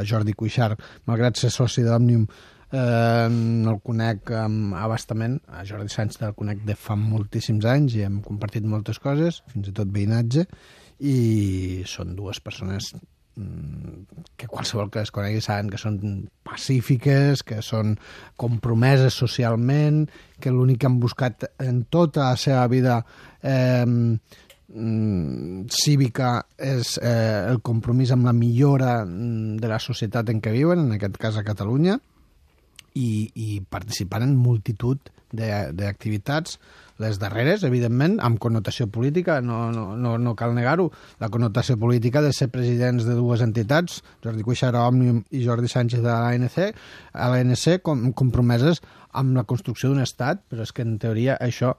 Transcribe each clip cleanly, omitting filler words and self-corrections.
Jordi Cuixart, malgrat ser soci d'Òmnium, no el conec abastament. A Jordi Sànchez el conec de fa moltíssims anys i hem compartit moltes coses, fins i tot veïnatge, i són dues persones que qualsevol que es conegui saben que són pacífiques, que són compromeses socialment, que l'únic que han buscat en tota la seva vida cívica és el compromís amb la millora de la societat en què viuen, en aquest cas a Catalunya, i participant en multitud d'activitats, les darreres, evidentment, amb connotació política, no cal negar-ho. La connotació política de ser presidents de dues entitats, Jordi Cuixart a Òmnium i Jordi Sànchez a l'ANC, compromeses amb la construcció d'un estat, però és que en teoria això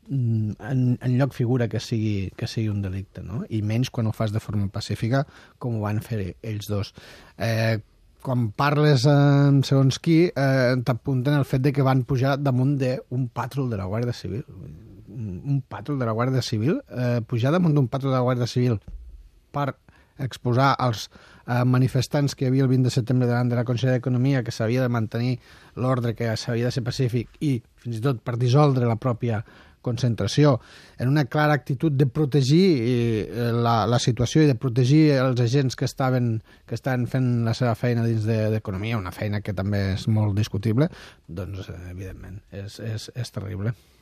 enlloc figura que sigui un delicte, no? I menys quan ho fas de forma pacífica, com ho van fer ells dos. Quan parles amb segons qui, t'apunten el fet de que van pujar damunt d'un pàtrol de la Guàrdia Civil. Un pàtrol de la Guàrdia Civil? Pujar damunt d'un pàtrol de la Guàrdia Civil per exposar als manifestants que hi havia el 20 de setembre davant de la Conselleria d'Economia, que s'havia de mantenir l'ordre, que s'havia de ser pacífic, i fins i tot per dissoldre la pròpia concentració, en una clara actitud de protegir la situació i de protegir els agents que estaven fent la seva feina dins d'economia, una feina que també és molt discutible, doncs evidentment és terrible.